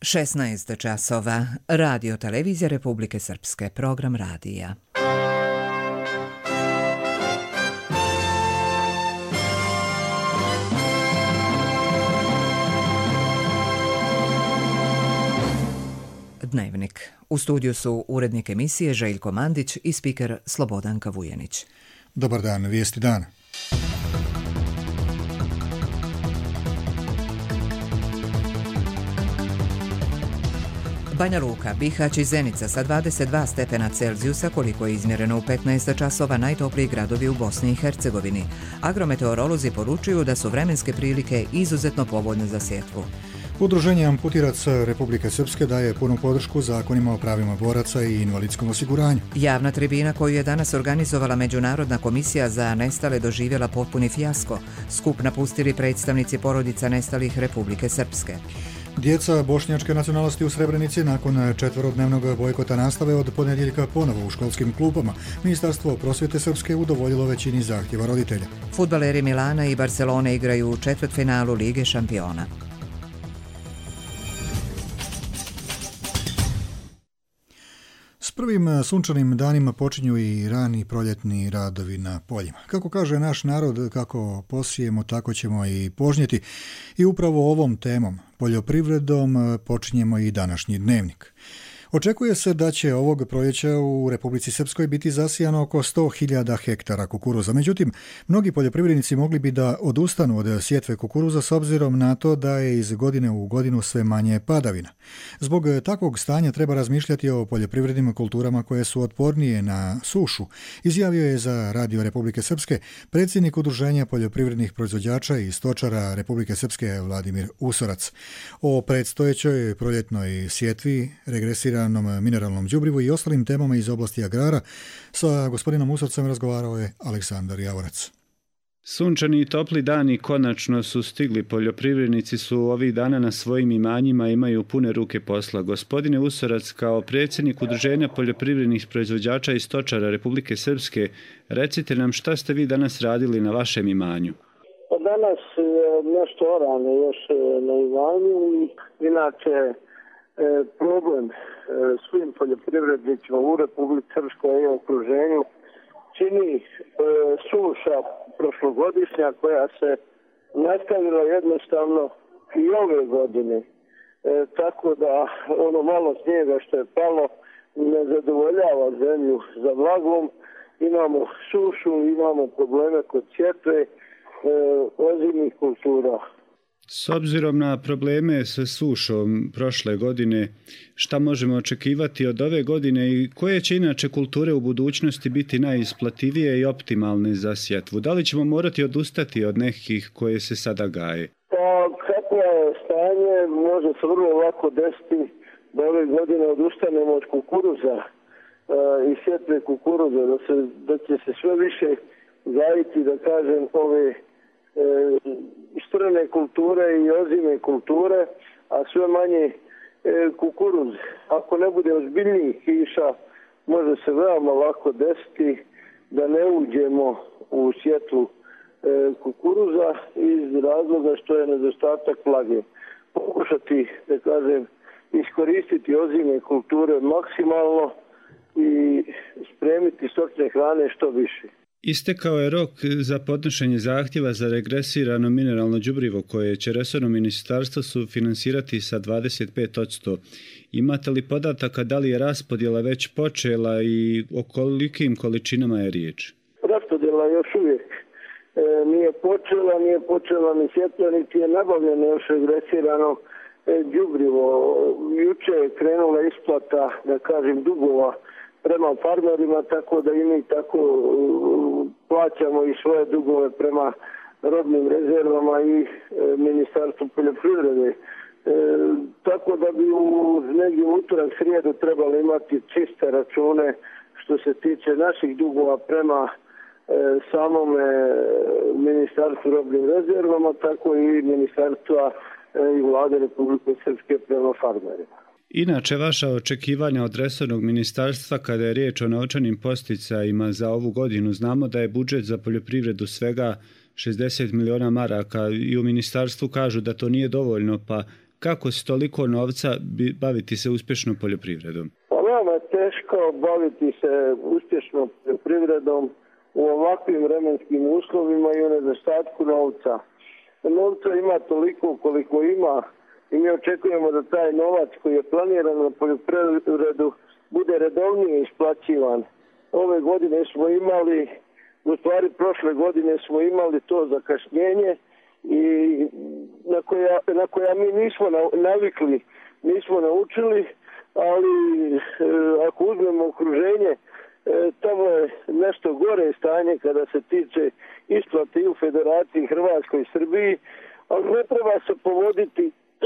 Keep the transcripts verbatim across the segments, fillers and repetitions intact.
šesnaest časova. Radio televizija Republike Srpske. Program radija. Dnevnik. U studiju su urednik emisije Željko Mandić i spiker Slobodanka Vujenić. Dobar dan, vijesti dana. Banja Luka, Bihać i Zenica sa dvadeset dva stepena Celzijusa, koliko je izmjereno u petnaest časova, najtopliji gradovi u Bosni i Hercegovini. Agrometeorolozi poručuju da su vremenske prilike izuzetno povoljne za sjetvu. Udruženje Amputiraca Republike Srpske daje punu podršku zakonima o pravima boraca i invalidskom osiguranju. Javna tribina koju je danas organizovala Međunarodna komisija za nestale doživjela potpuni fijasko. Skup napustili predstavnici porodica nestalih Republike Srpske. Djeca bošnjačke nacionalnosti u Srebrenici nakon četverodnevnog bojkota nastave od ponedjeljka ponovo u školskim klupama. Ministarstvo prosvjete Srpske udovoljilo većini zahtjeva roditelja. Fudbaleri Milana i Barcelone igraju u četvrtfinalu Lige šampiona. S prvim sunčanim danima počinju i rani proljetni radovi na poljima. Kako kaže naš narod, kako posijemo, tako ćemo i požnjeti. I upravo ovom temom, poljoprivredom, počinjemo i današnji dnevnik. Očekuje se da će ovog proljeća u Republici Srpskoj biti zasijano oko sto hiljada hektara kukuruza. Međutim, mnogi poljoprivrednici mogli bi da odustanu od sjetve kukuruza s obzirom na to da je iz godine u godinu sve manje padavina. Zbog takvog stanja treba razmišljati o poljoprivrednim kulturama koje su otpornije na sušu, izjavio je za Radio Republike Srpske predsjednik Udruženja poljoprivrednih proizvođača i stočara Republike Srpske Vladimir Usorac. O predstojećoj proljetnoj sjetvi, regresira mineralnom đubrivu i ostalim temama iz oblasti agrara sa gospodinom Usorcem razgovarao je Aleksandar Javorac. Sunčani i topli dani konačno su stigli. Poljoprivrednici su ovih dana na svojim imanjima, imaju pune ruke posla. Gospodine Usorac, kao predsjednik Udruženja poljoprivrednih proizvođača i stočara Republike Srpske, recite nam šta ste vi danas radili na vašem imanju? Danas nešto orane još na imanju, inače problem svim poljoprivrednicima u Republici Srpskoj i okruženju čini suša prošlogodišnja koja se nastavila jednostavno i ove godine. E, tako da ono malo snijega što je palo ne zadovoljava zemlju za vlagom. Imamo sušu, imamo probleme kod sjetve e, ozimnih kultura. S obzirom na probleme sa sušom prošle godine, šta možemo očekivati od ove godine i koje će inače kulture u budućnosti biti najisplativije i optimalne za sjetvu? Da li ćemo morati odustati od nekih koje se sada gaje? Pa kako je stanje, može se vrlo lako desiti da ove godine odustanemo od kukuruza e, i sjetve kukuruza, da, se, da će se sve više gajiti, da kažem, ove E, strane kulture i ozime kulture, a sve manje e, kukuruz. Ako ne bude ozbiljnijih kiša, može se veoma lako desiti da ne uđemo u sjetvu e, kukuruza iz razloga što je nedostatak vlage. Pokušati, da kažem, iskoristiti ozime kulture maksimalno i spremiti stočne hrane što više. Istekao je rok za podnošenje zahtjeva za regresirano mineralno đubrivo koje će resorno ministarstvo sufinansirati sa dvadeset pet posto. Imate li podataka da li je raspodjela već počela i o kolikim količinama je riječ? Raspodjela još uvijek e, nije počela, nije počela ni sjetva, niti je nabavljeno još regresirano e, đubrivo. Juče je krenula isplata, da kažem, dugova prema farmerima, tako da i mi tako uh, plaćamo i svoje dugove prema robnim rezervama i e, Ministarstvu poljoprivrede. E, tako da bi u negdje utorak srijedu trebali imati čiste račune što se tiče naših dugova prema e, samome Ministarstvu robnim rezervama, tako i Ministarstva e, i Vlade Republike Srpske prema farmerima. Inače, vaša očekivanja od resornog ministarstva kada je riječ o novčanim posticajima za ovu godinu, znamo da je budžet za poljoprivredu svega šezdeset miliona maraka i u ministarstvu kažu da to nije dovoljno, pa kako s toliko novca baviti se uspješnom poljoprivredom? Pa veoma je teško baviti se uspješnom poljoprivredom u ovakvim vremenskim uslovima i u nedostatku novca. Novca ima toliko koliko ima i mi očekujemo da taj novac koji je planiran na poljoprivredu bude redovnije isplaćivan. Ove godine smo imali, u stvari prošle godine smo imali to zakašnjenje i na koja, na koja mi nismo navikli, nismo naučili, ali e, ako uzmemo okruženje, e, tamo je nešto gore stanje kada se tiče isplate i u Federaciji Hrvatskoj i Srbiji, ali ne treba se povoditi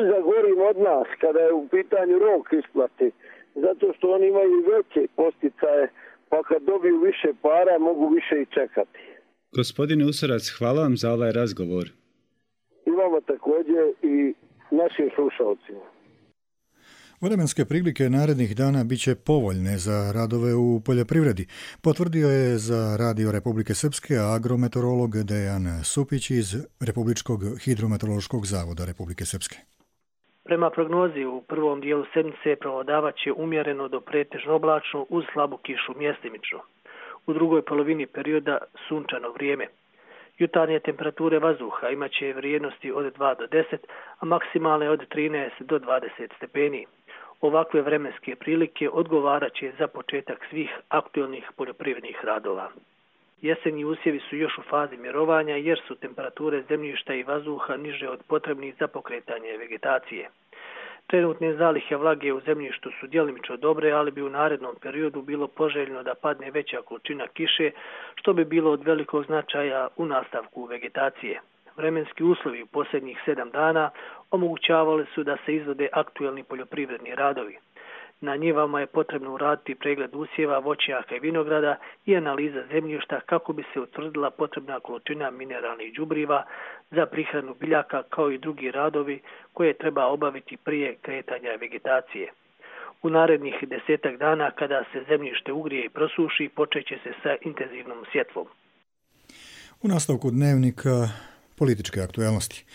za gorim od nas kada je u pitanju rok isplate, zato što oni imaju veće posticaje, pa kad dobiju više para mogu više i čekati. Gospodine Usorac, hvala vam za ovaj razgovor. I vama također i našim slušalcima. Vremenske prilike narednih dana bit će povoljne za radove u poljoprivredi, potvrdio je za Radio Republike Srpske agrometeorolog Dejan Supić iz Republičkog hidrometeorološkog zavoda Republike Srpske. Prema prognozi u prvom dijelu sedmice prevladavat će umjereno do pretežno oblačno uz slabu kišu mjestimično. U drugoj polovini perioda sunčano vrijeme. Jutarnje temperature vazduha imat će vrijednosti od dva do deset, a maksimalne od trinaest do dvadeset stepeni. Ovakve vremenske prilike odgovarat će za početak svih aktualnih poljoprivrednih radova. Jesenji usjevi su još u fazi mirovanja jer su temperature zemljišta i vazduha niže od potrebnih za pokretanje vegetacije. Trenutne zalihe vlage u zemljištu su djelimično dobre, ali bi u narednom periodu bilo poželjno da padne veća količina kiše, što bi bilo od velikog značaja u nastavku vegetacije. Vremenski uslovi u posljednjih sedam dana omogućavali su da se izvode aktuelni poljoprivredni radovi. Na njivama je potrebno uraditi pregled usjeva, voćnjaka i vinograda i analiza zemljišta kako bi se utvrdila potrebna količina mineralnih đubriva za prihranu biljaka kao i drugi radovi koje treba obaviti prije kretanja vegetacije. U narednih desetak dana kada se zemljište ugrije i prosuši počeće se sa intenzivnom sjetvom. U nastavku dnevnika političke aktualnosti.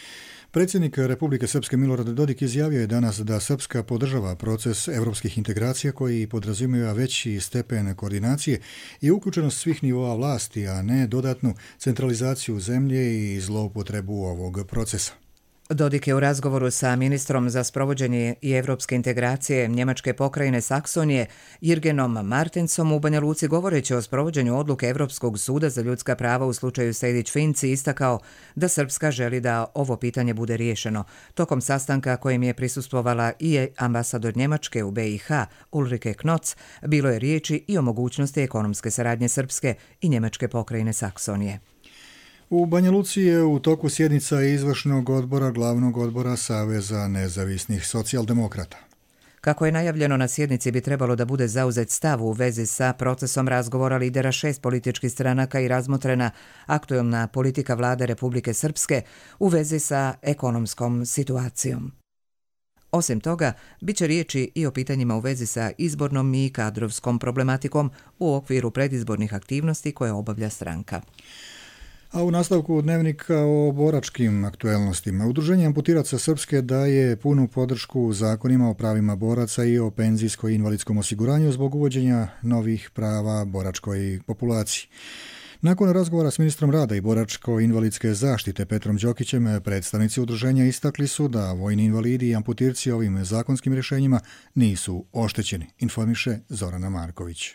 Predsjednik Republike Srpske Milorad Dodik izjavio je danas da Srpska podržava proces evropskih integracija koji podrazumijeva veći stepen koordinacije i uključenost svih nivoa vlasti, a ne dodatnu centralizaciju zemlje i zloupotrebu ovog procesa. Dodik je u razgovoru sa ministrom za sprovođenje i evropske integracije Njemačke pokrajine Saksonije Jürgenom Martensom u Banja Luci govoreći o sprovođenju odluke Evropskog suda za ljudska prava u slučaju Sejdić-Finci istakao da Srpska želi da ovo pitanje bude riješeno. Tokom sastanka kojem je prisustvovala i ambasador Njemačke u B i H Ulrike Knoc, bilo je riječi i o mogućnosti ekonomske saradnje Srpske i Njemačke pokrajine Saksonije. U Banja Luci je u toku sjednica izvršnog odbora glavnog odbora Saveza nezavisnih socijaldemokrata. Kako je najavljeno, na sjednici bi trebalo da bude zauzet stav u vezi sa procesom razgovora lidera šest političkih stranaka i razmotrena aktuelna politika vlade Republike Srpske u vezi sa ekonomskom situacijom. Osim toga, bit će riječi i o pitanjima u vezi sa izbornom i kadrovskom problematikom u okviru predizbornih aktivnosti koje obavlja stranka. A u nastavku dnevnika o boračkim aktuelnostima. Udruženje amputiraca Srpske daje punu podršku zakonima o pravima boraca i o penzijsko-invalidskom osiguranju zbog uvođenja novih prava boračkoj populaciji. Nakon razgovora s ministrom rada i boračko-invalidske zaštite Petrom Đokićem, predstavnici udruženja istakli su da vojni invalidi i amputirci ovim zakonskim rješenjima nisu oštećeni, informiše Zorana Marković.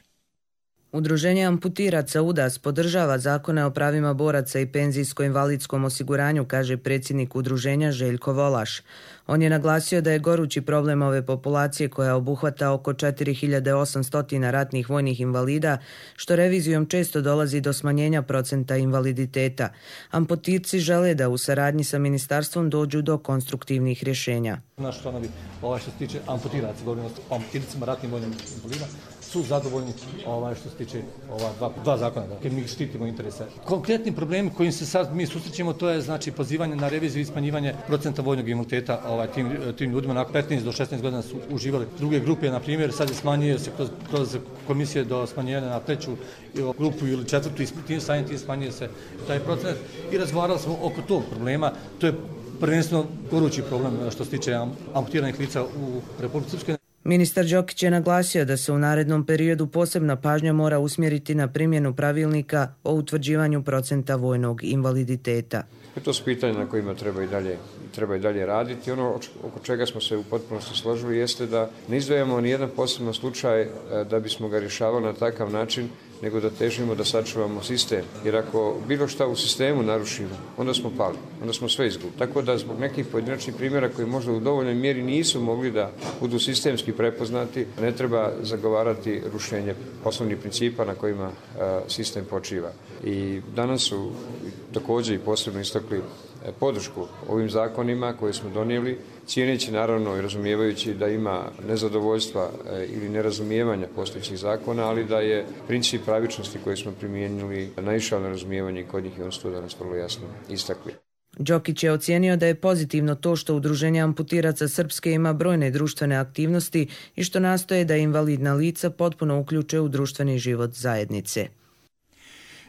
Udruženje amputiraca U D A S podržava zakone o pravima boraca i penzijsko-invalidskom osiguranju, kaže predsjednik udruženja Željko Volaš. On je naglasio da je gorući problem ove populacije koja obuhvata oko četiri hiljade osamsto ratnih vojnih invalida, što revizijom često dolazi do smanjenja procenta invaliditeta. Amputirci žele da u saradnji sa ministarstvom dođu do konstruktivnih rješenja. Naši članovi, ovaj što se tiče amputiraca, govorimo o amputircima ratnim vojnim invalida, su zadovoljni ovaj što se tiče ova dva, dva zakona, dakle mi štitimo interese. Konkretni problemi kojim se sad mi susrećemo, to je znači pozivanje na reviziju i smanjivanje procenta vojnog invaliditeta ovaj tim tim ljudima na petnaest do šesnaest godina su uživali. Druge grupe, na primjer, sad je smanjuje se kroz, kroz komisije do smanjenja na treću grupu ili četvrtu i tim stanjem tim smanjuje se taj procent i razgovarali smo oko tog problema. To je prvenstveno gorući problem što se tiče amputiranih lica u Republici Srpskoj. Ministar Đokić je naglasio da se u narednom periodu posebna pažnja mora usmjeriti na primjenu pravilnika o utvrđivanju procenta vojnog invaliditeta. To su pitanja na kojima treba i dalje, treba i dalje raditi. Ono oko čega smo se u potpunosti složili jeste da ne izdvajamo ni jedan poseban slučaj da bismo ga rješavali na takav način, nego da težimo da sačuvamo sistem. Jer ako bilo šta u sistemu narušimo, onda smo pali, onda smo sve izgubili. Tako da zbog nekih pojedinačnih primjera koji možda u dovoljnoj mjeri nisu mogli da budu sistemski prepoznati, ne treba zagovarati rušenje osnovnih principa na kojima sistem počiva. I danas su također i posebno istakli podršku ovim zakonima koje smo donijeli, cijeneći naravno i razumijevajući da ima nezadovoljstva ili nerazumijevanja postojećih zakona, ali da je princip pravičnosti koji smo primijenili naišao na razumijevanje kod njih i on su to danas vrlo jasno istakli. Đokić je ocijenio da je pozitivno to što Udruženje amputiraca Srpske ima brojne društvene aktivnosti i što nastoje da invalidna lica potpuno uključe u društveni život zajednice.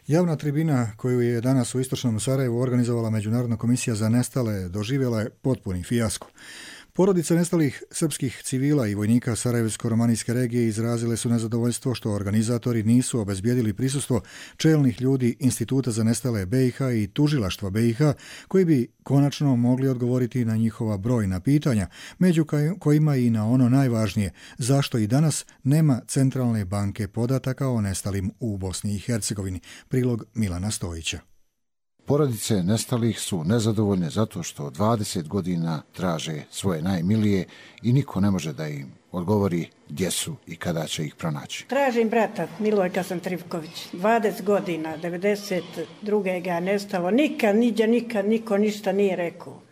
Javna tribina koju je danas u istočnom Sarajevu organizovala Međunarodna komisija za nestale doživjela je potpuni fijasko. Porodice nestalih srpskih civila i vojnika Sarajevsko-romanijske regije izrazile su nezadovoljstvo što organizatori nisu obezbijedili prisustvo čelnih ljudi Instituta za nestale B i H i Tužilaštva B i H koji bi konačno mogli odgovoriti na njihova brojna pitanja, među kojima i na ono najvažnije, zašto i danas nema centralne banke podataka o nestalim u Bosni i Hercegovini. Prilog Milana Stojića. Porodice nestalih su nezadovoljne zato što dvadeset godina traže svoje najmilije i niko ne može da im odgovori gdje su i kada će ih pronaći. Tražim brata Milojka Santrivković. dvadeset godina, devedeset druge ga je nestalo. Nikad, niđe, nikad niko ništa nije rekao.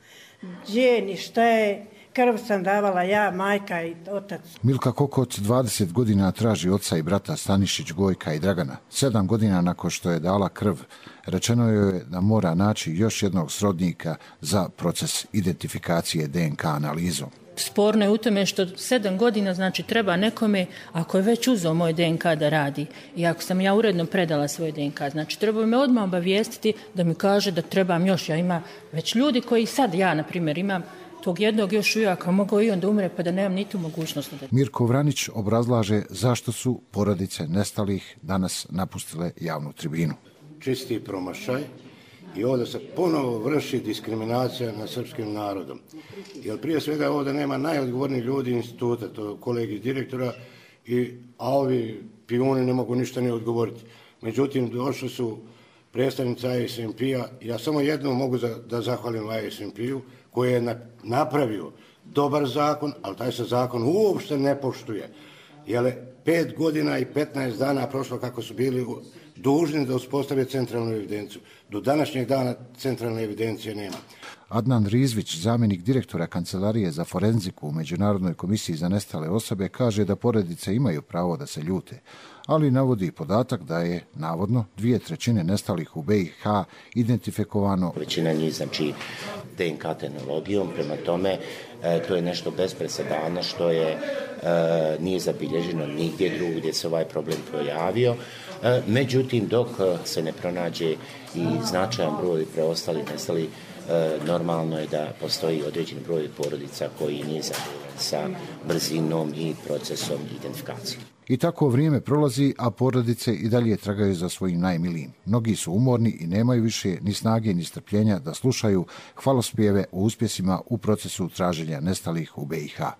Gdje, ni šta je, krv sam davala ja, majka i otac. Milka Kokot dvadeset godina traži oca i brata Stanišić, Gojka i Dragana. Sedam godina nakon što je dala krv, rečeno joj je da mora naći još jednog srodnika za proces identifikacije D N K analizom. Sporno je u tome što sedam godina znači treba nekome, ako je već uzeo moj D N K da radi i ako sam ja uredno predala svoj D N K, znači treba me odmah obavijestiti da mi kaže da trebam još. Ja ima već ljudi koji sad, ja na primjer imam tog jednog još ujaka, mogao i on da umre pa da nemam niti mogućnost. Da... Mirko Vranić obrazlaže zašto su porodice nestalih danas napustile javnu tribinu. Čisti promašaj i ovdje se ponovo vrši diskriminacija nad srpskim narodom. Jer prije svega ovdje nema najodgovornijih ljudi instituta, to kolegi direktora, i, a ovi pijuni ne mogu ništa ne odgovoriti. Međutim, došli su predstavnici I S M P-a, ja samo jedno mogu za, da zahvalim I S M P-u, koji je na, napravio dobar zakon, ali taj se zakon uopšte ne poštuje. Jer pet godina i petnaest dana prošlo kako su bili dužni da uspostave centralnu evidenciju. Do današnjeg dana centralne evidencije nema. Adnan Rizvić, zamjenik direktora Kancelarije za forenziku u Međunarodnoj komisiji za nestale osobe, kaže da porodice imaju pravo da se ljute, ali navodi podatak da je navodno dvije trećine nestalih u B i H identifikovano. Većina njih znači D N K tehnologijom, prema tome e, to je nešto bez presedana što je e, nije zabilježeno nigdje drugdje gdje se ovaj problem projavio. E, međutim, dok se ne pronađe i značajan broj preostalih nestalih, e, normalno je da postoji određeni broj porodica koji nije zadovoljan sa brzinom i procesom identifikacije. I tako vrijeme prolazi, a porodice i dalje tragaju za svojim najmilijim. Mnogi su umorni i nemaju više ni snage ni strpljenja da slušaju hvalospjeve o uspjesima u procesu traženja nestalih u B i H.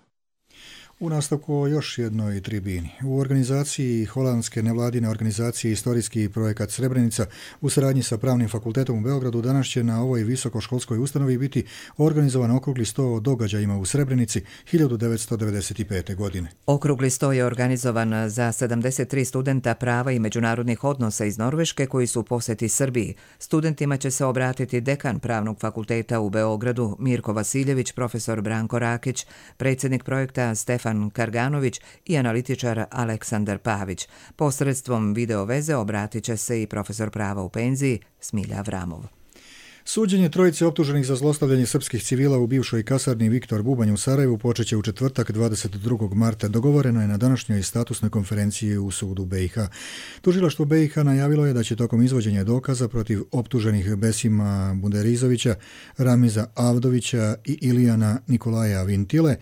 U nastavku o još jednoj tribini. U organizaciji holandske nevladine organizacije Istorijski projekat Srebrenica u saradnji sa Pravnim fakultetom u Beogradu danas će na ovoj visokoškolskoj ustanovi biti organizovan okrugli sto o događajima u Srebrenici hiljadu devetsto devedeset pete. godine. Okrugli sto je organizovan za sedamdeset tri studenta prava i međunarodnih odnosa iz Norveške koji su u posjeti Srbiji. Studentima će se obratiti dekan Pravnog fakulteta u Beogradu Mirko Vasiljević, profesor Branko Rakić, predsjednik projekta Stefan Karganović i analitičar Aleksandar Pavić. Posredstvom video veze obratit će se i profesor prava u penziji Smilja Avramov. Suđenje trojice optuženih za zlostavljanje srpskih civila u bivšoj kasarni Viktor Bubanj u Sarajevu počeće u četvrtak dvadeset drugog marta. Dogovoreno je na današnjoj statusnoj konferenciji u sudu B i H. Tužilaštvo B i H najavilo je da će tokom izvođenja dokaza protiv optuženih Besima Buderizovića, Ramiza Avdovića i Ilijana Nikolaja Vintile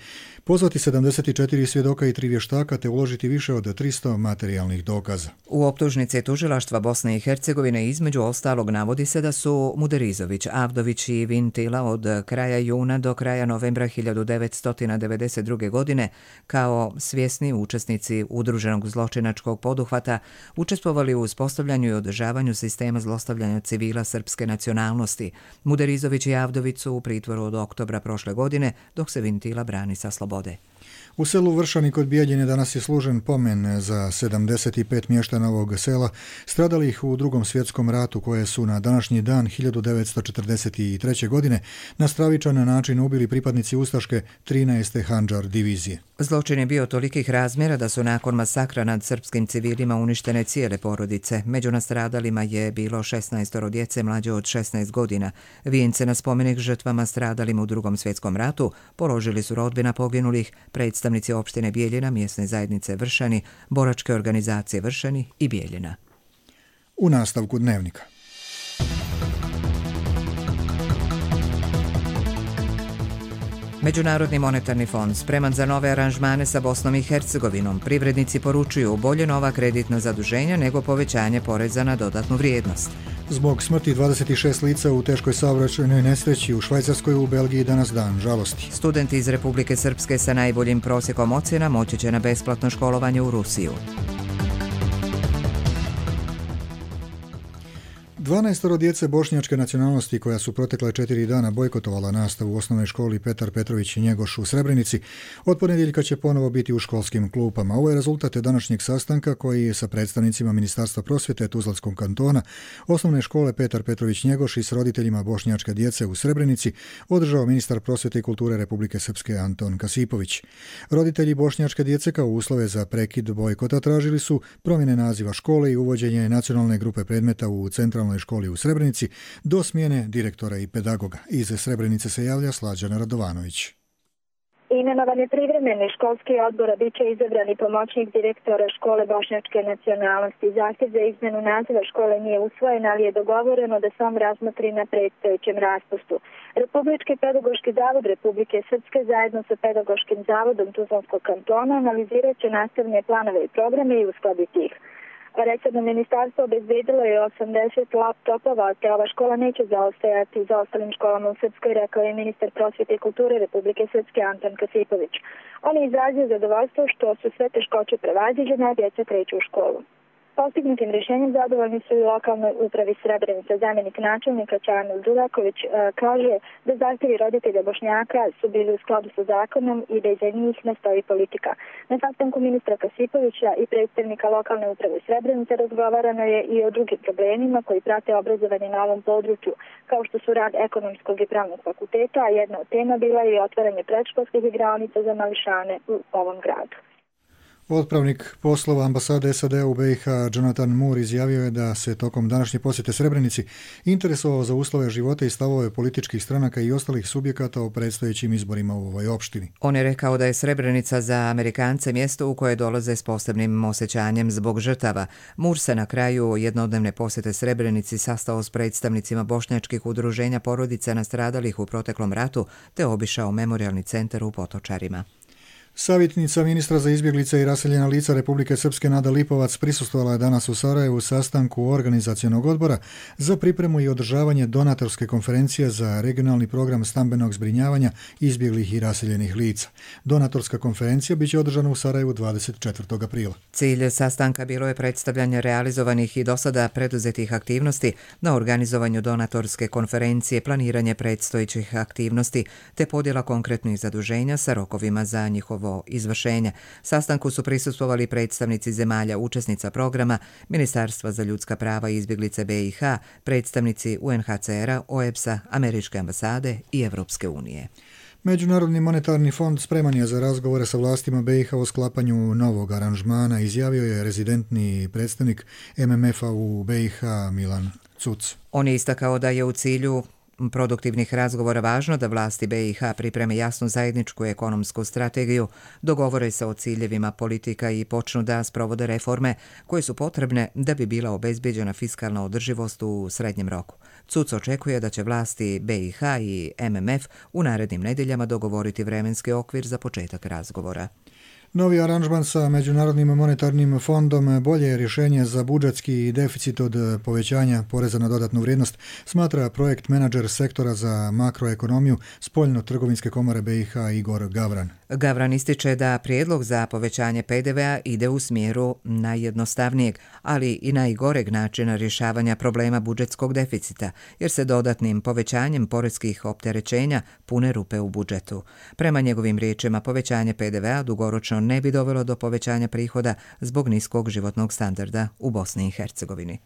pozvati sedamdeset četiri svjedoka i tri vještaka te uložiti više od tristo materijalnih dokaza. U optužnici tužilaštva Bosne i Hercegovine između ostalog navodi se da su Muderizović, Avdović i Vintila od kraja juna do kraja novembra hiljadu devetsto devedeset druge. godine kao svjesni učesnici udruženog zločinačkog poduhvata učestvovali u uspostavljanju i održavanju sistema zlostavljanja civila srpske nacionalnosti. Muderizović i Avdović su u pritvoru od oktobra prošle godine, dok se Vintila brani sa slobode. U selu Vršani kod Bijeljine danas je služen pomen za sedamdeset pet mještana ovog sela stradalih u Drugom svjetskom ratu koje su na današnji dan hiljadu devetsto četrdeset treće. godine na stravičan način ubili pripadnici ustaške trinaeste Handžar divizije. Zločin je bio tolikih razmjera da su nakon masakra nad srpskim civilima uništene cijele porodice. Među nastradalima je bilo šesnaestoro djece mlađe od šesnaest godina. Vijence na spomenik žrtvama stradalim u Drugom svjetskom ratu položili su rodbina poginulih, predstavnici opštine Bijeljina, mjesne zajednice Vršani, boračke organizacije Vršani i Bijeljina. U nastavku dnevnika. Međunarodni monetarni fond spreman za nove aranžmane sa Bosnom i Hercegovinom. Privrednici poručuju bolje nova kreditna zaduženja nego povećanje poreza na dodatnu vrijednost. Zbog smrti dvadeset šest lica u teškoj saobraćajnoj nesreći u Švajcarskoj u Belgiji danas dan žalosti. Studenti iz Republike Srpske sa najboljim prosjekom ocjena moći će na besplatno školovanje u Rusiju. Dvanaestoro djece bošnjačke nacionalnosti koja su protekle četiri dana bojkotovala nastavu u osnovnoj školi Petar Petrović i Njegoš u Srebrenici, od ponedjeljka će ponovo biti u školskim klupama. Ovo je rezultat današnjeg sastanka koji je sa predstavnicima Ministarstva prosvjete Tuzlanskog kantona, osnovne škole Petar Petrović Njegoš i s roditeljima bošnjačke djece u Srebrenici održao ministar prosvjete i kulture Republike Srpske Anton Kasipović. Roditelji bošnjačke djece kao uslove za prekid bojkota tražili su promjene naziva škole i uvođenje nacionalne grupe predmeta u centralnoj školi u Srebrenici do smjene direktora i pedagoga. Iz Srebrenice se javlja Slađana Radovanović. Imenovan je privremeni školski odbor, a bit će izabrani pomoćnik direktora škole bošnjačke nacionalnosti. Zahtjev za izmenu naziva škole nije usvojen, ali je dogovoreno da se on razmotri na predstojećem raspustu. Republički pedagoški zavod Republike Srpske zajedno sa pedagoškim zavodom Tuzlanskog kantona analizirat će nastavne planove i programe i uskladiti ih. Resorno ministarstvo obezbedilo je osamdeset laptopova, te ova škola neće zaostajati za ostalim školama u Srpskoj, rekao je ministar prosvjete i kulture Republike Srpske Anton Kasipović. On je izrazio zadovoljstvo što su sve teškoće prevaziđene, a djeca kreću u školu. Postignutim rješenjem zadovoljni su i lokalnoj upravi Srebrenica. Zamjenik načelnika Čamil Đuraković e, kaže da zahtjevi roditelja Bošnjaka su bili u skladu sa zakonom i da iza njih ne stoji politika. Na sastanku ministra Kasipovića i predstavnika lokalne uprave Srebrenica razgovarano je i o drugim problemima koji prate obrazovanje na ovom području, kao što su rad ekonomskog i pravnog fakulteta, a jedna od tema bila je i otvaranje predškolskih igraonica za mališane u ovom gradu. Otpravnik poslova ambasade S A D u B i H Jonathan Moore izjavio je da se tokom današnje posjete Srebrenici interesovao za uslove života i stavove političkih stranaka i ostalih subjekata o predstojećim izborima u ovoj opštini. On je rekao da je Srebrenica za Amerikance mjesto u koje dolaze s posebnim osjećanjem zbog žrtava. Moore se na kraju jednodnevne posjete Srebrenici sastao s predstavnicima bošnjačkih udruženja porodica nastradalih u proteklom ratu te obišao memorijalni centar u Potočarima. Savjetnica ministra za izbjeglice i raseljena lica Republike Srpske Nada Lipovac prisustvovala je danas u Sarajevu sastanku organizacionog odbora za pripremu i održavanje donatorske konferencije za regionalni program stambenog zbrinjavanja izbjeglih i raseljenih lica. Donatorska konferencija biće održana u Sarajevu dvadeset četvrtog aprila. Cilj sastanka bilo je predstavljanje realizovanih i dosada preduzetih aktivnosti na organizovanju donatorske konferencije, planiranje predstojećih aktivnosti te podjela konkretnih zaduženja sa rokovima za njihovo izvršenje. Sastanku su prisustvovali predstavnici zemalja učesnica programa, Ministarstva za ljudska prava i izbjeglice B i H, predstavnici U N H C R-a, O E B S-a, Američke ambasade i Evropske unije. Međunarodni monetarni fond spreman je za razgovore sa vlastima B i H o sklapanju novog aranžmana, izjavio je rezidentni predstavnik M M F-a u B i H Milan Cuc. On je istakao da je u cilju produktivnih razgovora važno da vlasti B i H pripreme jasnu zajedničku ekonomsku strategiju, dogovore se o ciljevima politika i počnu da sprovode reforme koje su potrebne da bi bila obezbeđena fiskalna održivost u srednjem roku. C U C očekuje da će vlasti B i H i M M F u narednim nedeljama dogovoriti vremenski okvir za početak razgovora. Novi aranžman sa Međunarodnim monetarnim fondom bolje je rješenje za budžetski deficit od povećanja poreza na dodatnu vrijednost, smatra projekt menadžer sektora za makroekonomiju Spoljno-trgovinske komore B i H Igor Gavran. Gavran ističe da prijedlog za povećanje P D V-a ide u smjeru najjednostavnijeg, ali i najgoreg načina rješavanja problema budžetskog deficita, jer se dodatnim povećanjem poreskih opterećenja pune rupe u budžetu. Prema njegovim riječima, povećanje P D V-a dugoročno ne bi dovelo do povećanja prihoda zbog niskog životnog standarda u Bosni i Hercegovini.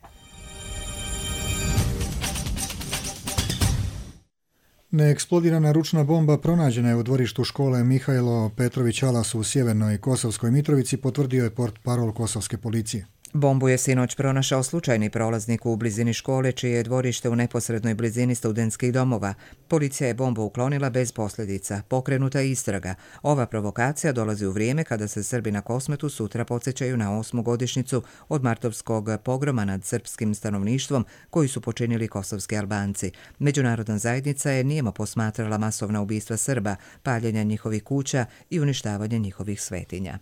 Neeksplodirana ručna bomba pronađena je u dvorištu škole Mihajlo Petrović Alas u sjevernoj Kosovskoj Mitrovici, potvrdio je portparol kosovske policije. Bombu je sinoć pronašao slučajni prolaznik u blizini škole, čije je dvorište u neposrednoj blizini studentskih domova. Policija je bombu uklonila bez posljedica. Pokrenuta je istraga. Ova provokacija dolazi u vrijeme kada se Srbi na Kosmetu sutra podsjećaju na osmu godišnjicu od martovskog pogroma nad srpskim stanovništvom koji su počinili kosovski Albanci. Međunarodna zajednica je nijemo posmatrala masovna ubistva Srba, paljenja njihovih kuća i uništavanje njihovih svetinja.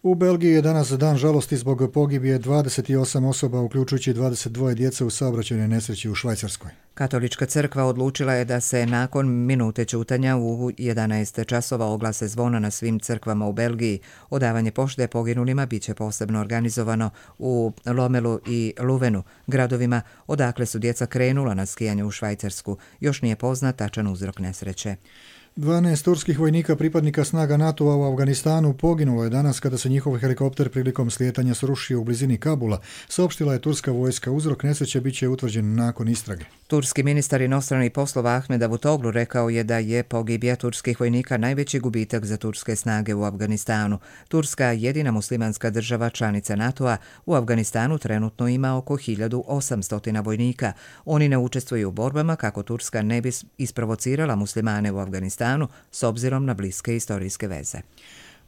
U Belgiji je danas dan žalosti zbog pogibije dvadeset osam osoba, uključujući dvadeset dva djece u saobraćajnoj nesreći u Švajcarskoj. Katolička crkva odlučila je da se nakon minute ćutanja u jedanaest časova oglase zvona na svim crkvama u Belgiji. Odavanje pošte poginulima bit će posebno organizovano u Lomelu i Luvenu, gradovima odakle su djeca krenula na skijanje u Švajcarsku. Još nije poznat tačan uzrok nesreće. dvanaest turskih vojnika pripadnika snaga NATO-a u Afganistanu poginulo je danas kada se njihov helikopter prilikom slijetanja srušio u blizini Kabula, saopštila je turska vojska. Uzrok nesreće bit će utvrđen nakon istrage. Turski ministar inostranih poslova Ahmed Davutoglu rekao je da je pogibija turskih vojnika najveći gubitak za turske snage u Afganistanu. Turska, jedina muslimanska država članica NATO-a, u Afganistanu trenutno ima oko hiljadu osamsto vojnika. Oni ne učestvuju u borbama kako Turska ne bi isprovocirala muslimane u Afganistanu s obzirom na bliske historijske veze.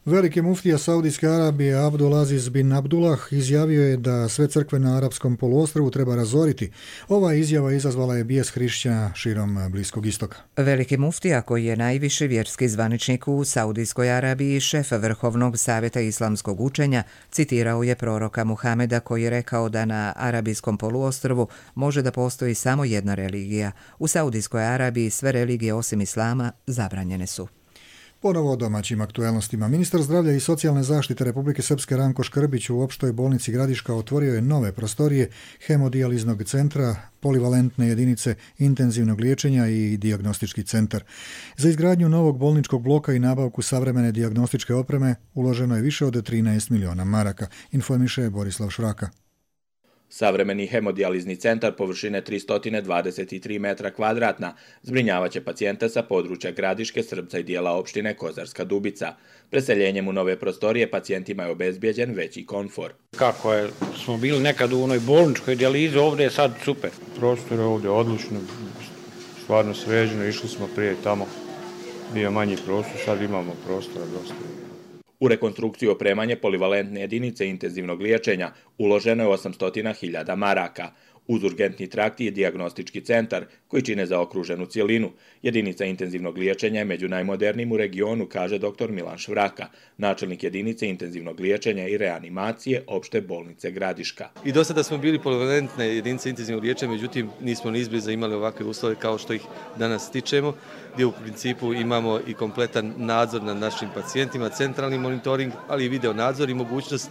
Veliki muftija Saudijske Arabije Abdul Aziz bin Abdullah izjavio je da sve crkve na arapskom poluostrvu treba razoriti. Ova izjava izazvala je bijes hrišćana širom Bliskog istoka. Veliki muftija, koji je najviši vjerski zvaničnik u Saudijskoj Arabiji i šef Vrhovnog savjeta islamskog učenja, citirao je proroka Muhameda koji je rekao da na arabijskom poluostrvu može da postoji samo jedna religija. U Saudijskoj Arabiji sve religije osim islama zabranjene su. Ponovo o domaćim aktuelnostima. Ministar zdravlja i socijalne zaštite Republike Srpske Ranko Škrbić u opštoj bolnici Gradiška otvorio je nove prostorije hemodijaliznog centra, polivalentne jedinice intenzivnog liječenja i dijagnostički centar. Za izgradnju novog bolničkog bloka i nabavku savremene dijagnostičke opreme uloženo je više od trinaest miliona maraka, informiše Borislav Šraka. Savremeni hemodijalizni centar površine tristo dvadeset tri metra kvadratna zbrinjavaće pacijente sa područja Gradiške, Srbca i dijela opštine Kozarska Dubica. Preseljenjem u nove prostorije pacijentima je obezbijeđen veći komfor. Kako je, smo bili nekad u onoj bolničkoj dijalizi, ovdje je sad super. Prostor je ovdje odlično, stvarno sređeno, išli smo prije tamo, bio manji prostor, sad imamo prostora dosta. U rekonstrukciju i opremanje polivalentne jedinice intenzivnog liječenja uloženo je osamsto hiljada maraka. Uz urgentni trakt i dijagnostički centar koji čine zaokruženu cjelinu. Jedinica intenzivnog liječenja je među najmodernijim u regionu, kaže doktor Milan Švraka, načelnik jedinice intenzivnog liječenja i reanimacije opšte bolnice Gradiška. I do sada smo bili polivalentne jedinice intenzivnog liječenja, međutim nismo ni izbliza imali ovakve uslove kao što ih danas stičemo, gdje u principu imamo i kompletan nadzor nad našim pacijentima, centralni monitoring, ali i video nadzor i mogućnost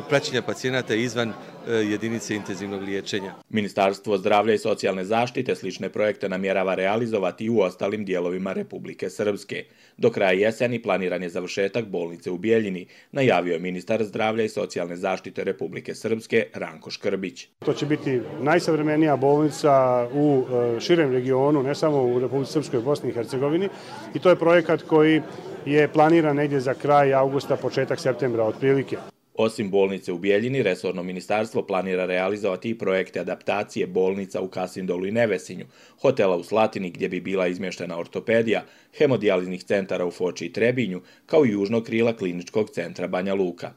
praćenja pacijenata izvan jedinice intenzivnog liječenja. Ministarstvo zdravlja i socijalne zaštite slične projekte namjerava realizovati i u ostalim dijelovima Republike Srpske. Do kraja jeseni planiran je završetak bolnice u Bijeljini, najavio je ministar zdravlja i socijalne zaštite Republike Srpske Ranko Škrbić. To će biti najsavremenija bolnica u širem regionu, ne samo u Republici Srpskoj, Bosni i Hercegovini, i to je projekat koji je planiran negdje za kraj avgusta, početak septembra otprilike. Osim bolnice u Bijeljini, resorno ministarstvo planira realizovati i projekte adaptacije bolnica u Kasindolu i Nevesinju, hotela u Slatini gdje bi bila izmještena ortopedija, hemodijaliznih centara u Foči i Trebinju, kao i južnog krila kliničkog centra Banja Luka.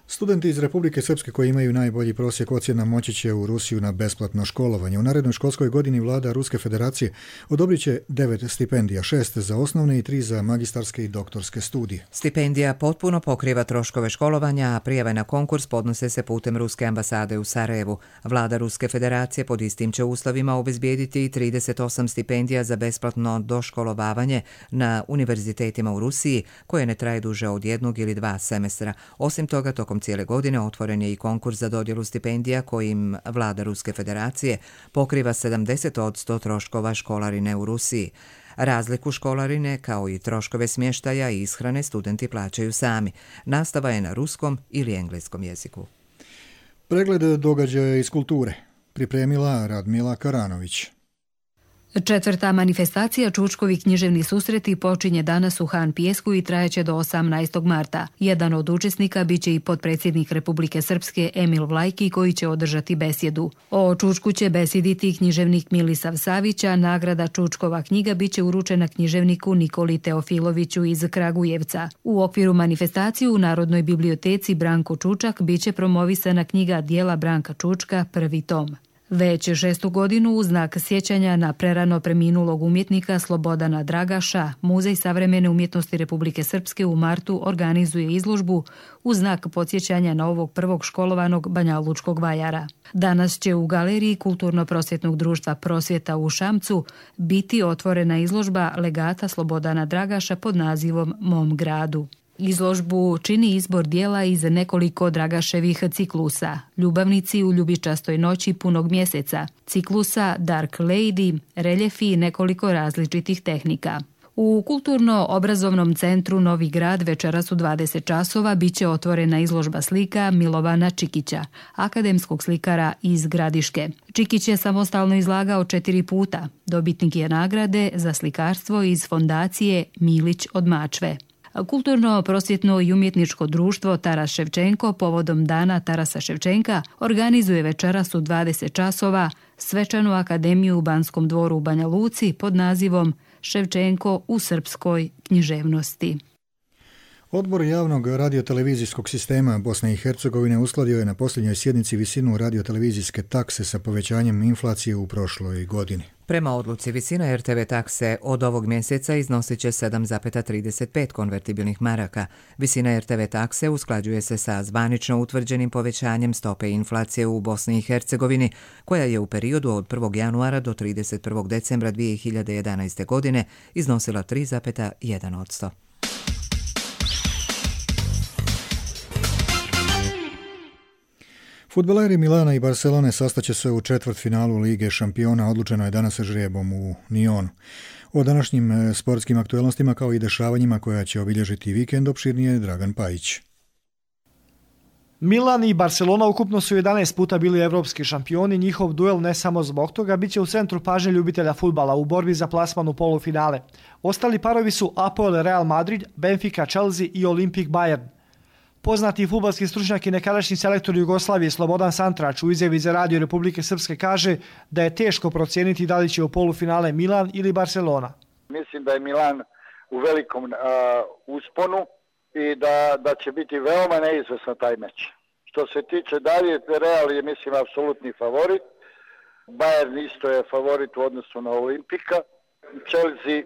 Studenti iz Republike Srpske koji imaju najbolji prosjek ocjena moći će u Rusiju na besplatno školovanje. U narednoj školskoj godini vlada Ruske federacije odobrit će devet stipendija, šest za osnovne i tri za magistarske i doktorske studije. Stipendija potpuno pokriva troškove školovanja, a prijave na konkurs podnose se putem Ruske ambasade u Sarajevu. Vlada Ruske federacije pod istim će uslovima obezbijediti trideset osam stipendija za besplatno doškolovavanje na univerzitetima u Rusiji, koje ne traje duže od jednog ili dva semestra. Osim toga, tokom cijele godine otvoren je i konkurs za dodjelu stipendija kojim vlada Ruske federacije pokriva sedamdeset posto troškova školarine u Rusiji. Razliku školarine kao i troškove smještaja i ishrane studenti plaćaju sami. Nastava je na ruskom ili engleskom jeziku. Pregled događaja iz kulture pripremila Radmila Karanović. Četvrta manifestacija Čučkovi književni susreti počinje danas u Han Pijesku i trajeće do osamnaestog marta. Jedan od učesnika biće i potpredsjednik Republike Srpske Emil Vlajki koji će održati besjedu. O Čučku će besjediti književnik Milisav Savića, nagrada Čučkova knjiga biće uručena književniku Nikoli Teofiloviću iz Kragujevca. U okviru manifestacije u Narodnoj biblioteci Branko Čučak biće promovisana knjiga Dijela Branka Čučka, prvi tom. Već šestu godinu u znak sjećanja na prerano preminulog umjetnika Slobodana Dragaša, Muzej savremene umjetnosti Republike Srpske u martu organizuje izložbu u znak podsjećanja na ovog prvog školovanog banjalučkog vajara. Danas će u galeriji Kulturno-prosvjetnog društva Prosvjeta u Šamcu biti otvorena izložba legata Slobodana Dragaša pod nazivom Mom gradu. Izložbu čini izbor dijela iz nekoliko Dragaševih ciklusa, Ljubavnici u ljubičastoj noći punog mjeseca, ciklusa Dark Lady, reljefi i nekoliko različitih tehnika. U Kulturno-obrazovnom centru Novi Grad večeras u dvadeset časova biće otvorena izložba slika Milovana Čikića, akademskog slikara iz Gradiške. Čikić je samostalno izlagao četiri puta. Dobitnik je nagrade za slikarstvo iz fondacije Milić od Mačve. Kulturno-prosvjetno i umjetničko društvo Taras Ševčenko povodom Dana Tarasa Ševčenka organizuje večeras u dvadeset časova svečanu akademiju u Banskom dvoru u Banja Luci pod nazivom Ševčenko u srpskoj književnosti. Odbor javnog radiotelevizijskog sistema Bosne i Hercegovine uskladio je na posljednjoj sjednici visinu radiotelevizijske takse sa povećanjem inflacije u prošloj godini. Prema odluci visina er te ve takse od ovog mjeseca iznosit će sedam zarez trideset pet konvertibilnih maraka. Visina er te ve takse usklađuje se sa zvanično utvrđenim povećanjem stope inflacije u Bosni i Hercegovini, koja je u periodu od prvog januara do trideset prvog decembra dvije hiljade jedanaeste. godine iznosila tri zarez jedan posto. Fudbaleri Milana i Barcelone sastaće se u četvrtfinalu Lige šampiona, odlučeno je danas žrebom u Nionu. O današnjim sportskim aktuelnostima kao i dešavanjima koja će obilježiti vikend opširnije Dragan Pajić. Milan i Barcelona ukupno su jedanaest puta bili evropski šampioni, njihov duel ne samo zbog toga biće u centru pažnje ljubitelja fudbala u borbi za plasman u polufinale. Ostali parovi su A P O L Real Madrid, Benfica Chelsea i Olimpik Bayern. Poznati fudbalski stručnjak i nekadašnji selektor Jugoslavije Slobodan Santrač u izjavi za Radio Republike Srpske kaže da je teško procijeniti da li će u polufinale Milan ili Barcelona. Mislim da je Milan u velikom uh, usponu i da, da će biti veoma neizvesno taj meč. Što se tiče dalje, Real je mislim apsolutni favorit. Bayern isto je favorit u odnosu na Olimpika. Chelsea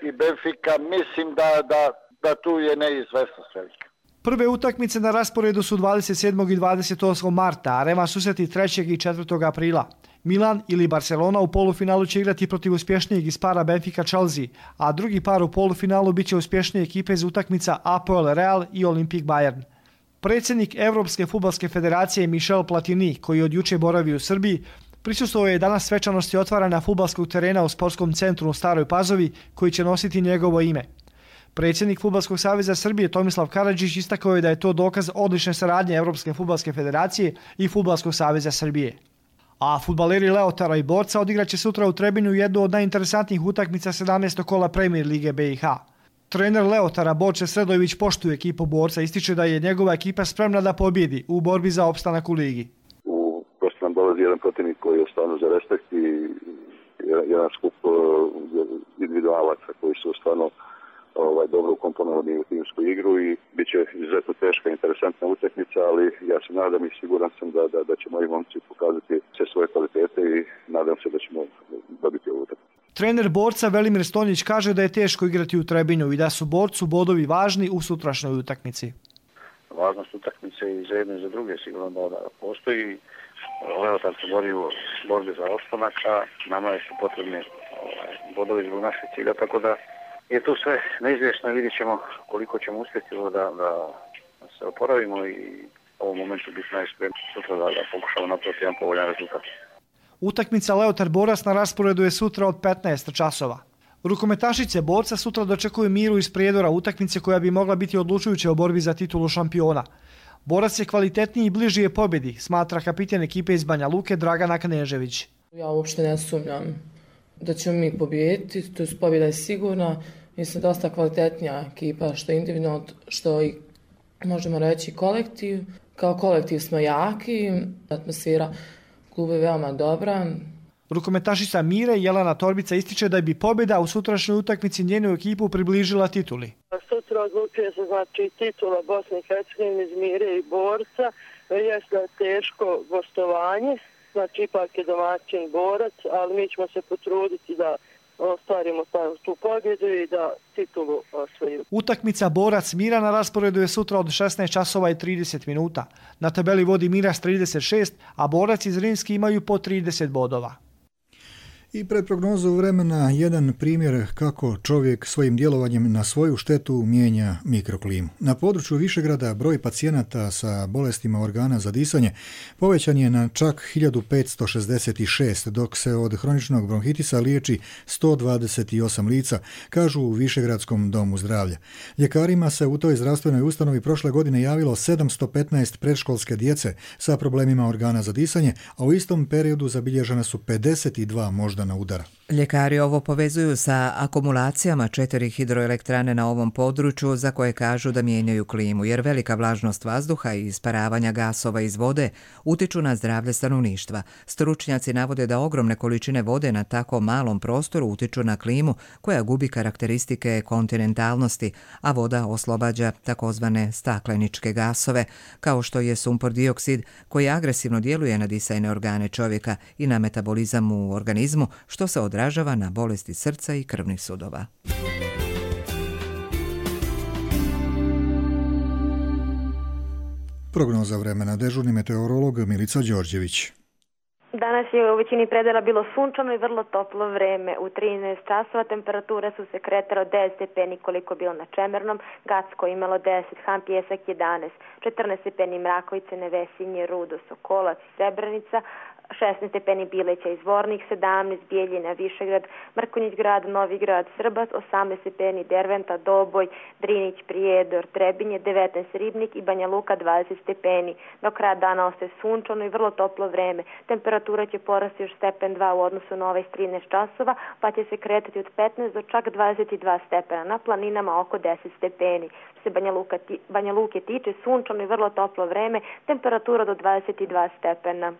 i Benfica mislim da, da, da tu je neizvesnost velika. Prve utakmice na rasporedu su dvadeset sedmog i dvadeset osmog marta, a revanš susreti trećeg i četvrtog aprila. Milan ili Barcelona u polufinalu će igrati protiv uspješnijeg iz para Benfica Chelsea, a drugi par u polufinalu biće uspješnije ekipe iz utakmica A P O L Real i Olimpik Bayern. Predsjednik Evropske fudbalske federacije Michel Platini, koji od juče boravi u Srbiji, prisustvovao je danas svečanosti otvaranja fudbalskog terena u sportskom centru u Staroj Pazovi, koji će nositi njegovo ime. Predsjednik Fudbalskog saveza Srbije Tomislav Karadžić istakao je da je to dokaz odlične saradnje Evropske fudbalske federacije i Fudbalskog saveza Srbije. A fudbaleri Leotara i Borca odigraće sutra u Trebinju jednu od najinteresantnijih utakmica sedamnaestog kola Premier Lige B i H. Trener Leotara Borče Sredojević poštuje ekipu Borca, ističe da je njegova ekipa spremna da pobjedi u borbi za opstanak u ligi. U prosto nam dolazi jedan protivnik koji je stvarno za respekt i jedan skup individualaca koji su stvarno ovaj, dobro ukomponovani u timsku igru i bit će izuzetno teška, interesantna utakmica, ali ja se nadam i siguran sam da, da, da će moji momci pokazati sve svoje kvalitete i nadam se da ćemo dobiti ovu utakmicu. Trener Borca Velimir Stonjić kaže da je teško igrati u Trebinju i da su Borcu bodovi važni u sutrašnjoj utakmici. Važnost utakmice i za jedne i za druge sigurno da postoji. Leotar se bori u borbi za ostanak, a nama su potrebni ovaj, bodovi zbog našeg cilja, tako da je tu sve neizvjesno i vidjet ćemo koliko ćemo uspjeti da, da se oporavimo i u ovom momentu biti najspremniji sutra da, da pokušamo napraviti jedan povoljan rezultat. Utakmica Leotar Borac na rasporedu je sutra od petnaest časova. Rukometašice Borca sutra dočekuju Miru iz Prijedora, utakmice koja bi mogla biti odlučujuća u borbi za titulu šampiona. Borac je kvalitetniji i bliži je pobjedi, smatra kapitan ekipe iz Banja Luke Dragana Knežević. Ja uopšte ne sumnjam da ćemo mi pobijediti, to je pobjeda je sigurna. Mislim, dosta kvalitetnija ekipa, što individualno, što i možemo reći kolektiv. Kao kolektiv smo jaki, atmosfera kluba je veoma dobra. Rukometašica Mire Jelena Torbica ističe da bi pobjeda u sutrašnjoj utakmici njenu ekipu približila tituli. Sutra odlučuje se znači titula Bosne i Hercegovine iz Mire i Borca. Jeste teško gostovanje, znači ipak je domaćin Borac, ali mi ćemo se potruditi da ostvarimo tu pobjedu i da titulu osvojimo. Utakmica Borac Mira na rasporedu je sutra od šesnaest časova i trideset minuta. Na tabeli vodi Mira s trideset šest, a Borac iz Rimski imaju po trideset bodova. I pred prognozu vremena jedan primjer kako čovjek svojim djelovanjem na svoju štetu mijenja mikroklimu. Na području Višegrada broj pacijenata sa bolestima organa za disanje povećan je na čak hiljadu petsto šezdeset šest, dok se od hroničnog bronhitisa liječi sto dvadeset osam lica, kažu u Višegradskom domu zdravlja. Ljekarima se u toj zdravstvenoj ustanovi prošle godine javilo sedamsto petnaest predškolske djece sa problemima organa za disanje, a u istom periodu zabilježena su pedeset dva moždana udara. Ljekari ovo povezuju sa akumulacijama četiri hidroelektrane na ovom području za koje kažu da mijenjaju klimu, jer velika vlažnost vazduha i isparavanja gasova iz vode utiču na zdravlje stanovništva. Stručnjaci navode da ogromne količine vode na tako malom prostoru utiču na klimu koja gubi karakteristike kontinentalnosti, a voda oslobađa takozvane stakleničke gasove, kao što je sumpor dioksid koji agresivno djeluje na disajne organe čovjeka i na metabolizam u organizmu, što se odražava na bolesti srca i krvnih sudova. Prognoza vremena, dežurni meteorolog Milica Đorđević. Danas je u većini predela bilo sunčano i vrlo toplo vreme. U trinaest časova temperature su se kretale od deset stepeni koliko bilo na Čemernom, Gacko imalo deset, Han Pijesak jedanaest, četrnaest stepeni Mrakovice, Nevesinje, Rudo, Sokolac, Srebrenica, šesnaest stepeni Bileća i Zvornik, sedamnaest Bijeljina, Višegrad, Mrkonjić grad, Novi grad, Srbac, osamnaest stepeni Derventa, Doboj, Drinić, Prijedor, Trebinje, devetnaest Ribnik i Banja Luka dvadeset stepeni. Do kraja dana ostaje sunčano i vrlo toplo vreme. Temperatura će porasti još stepen dva u odnosu na ovaj trinaest časova, pa će se kretati od petnaest do čak dvadeset dva stepena. Na planinama oko deset stepeni. Što se Banja, Luka, Banja Luke tiče, sunčano i vrlo toplo vreme, temperatura do dvadeset dva stepena.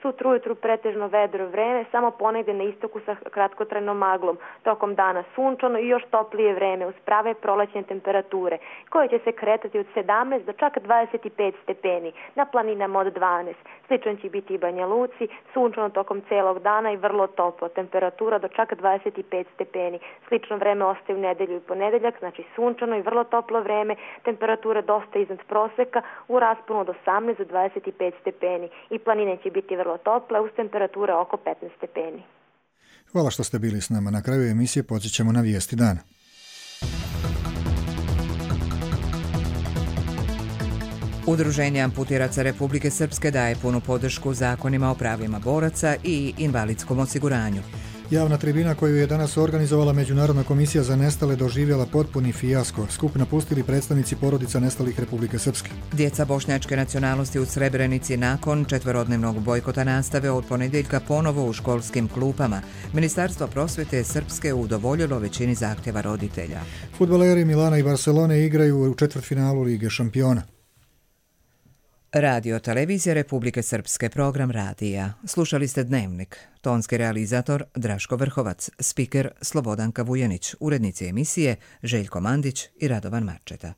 Sutra ujutru pretežno vedro vreme, samo ponegdje na istoku sa kratkotrajnom maglom. Tokom dana sunčano i još toplije vreme uz prave prolećne temperature, koje će se kretati od sedamnaest do čak dvadeset pet stepeni, na planinama od dvanaest. Sličan će biti i Banja Luci, sunčano tokom celog dana i vrlo toplo, temperatura do čak dvadeset pet stepeni. Slično vreme ostaje u nedelju i ponedeljak, znači sunčano i vrlo toplo vreme, temperature dosta iznad proseka, u rasponu od osamnaest do dvadeset pet stepeni i planine će biti vrlo tople uz temperature oko petnaest stepeni. Hvala što ste bili s nama. Na kraju emisije podsjećamo na vijesti dana. Udruženje amputiraca Republike Srpske daje punu podršku zakonima o pravima boraca i invalidskom osiguranju. Javna tribina koju je danas organizovala Međunarodna komisija za nestale doživjela potpuni fijasko. Skup napustili predstavnici porodica nestalih Republike Srpske. Djeca bošnjačke nacionalnosti u Srebrenici nakon četverodnevnog bojkota nastave od ponedjeljka ponovo u školskim klupama. Ministarstvo prosvjete Srpske udovoljilo većini zahtjeva roditelja. Fudbaleri Milana i Barcelone igraju u četvrtfinalu Lige šampiona. Radio Televizija Republike Srpske, program radija. Slušali ste Dnevnik. Tonski realizator Draško Vrhovac, spiker Slobodanka Vujanić, urednici emisije Željko Mandić i Radovan Marčeta.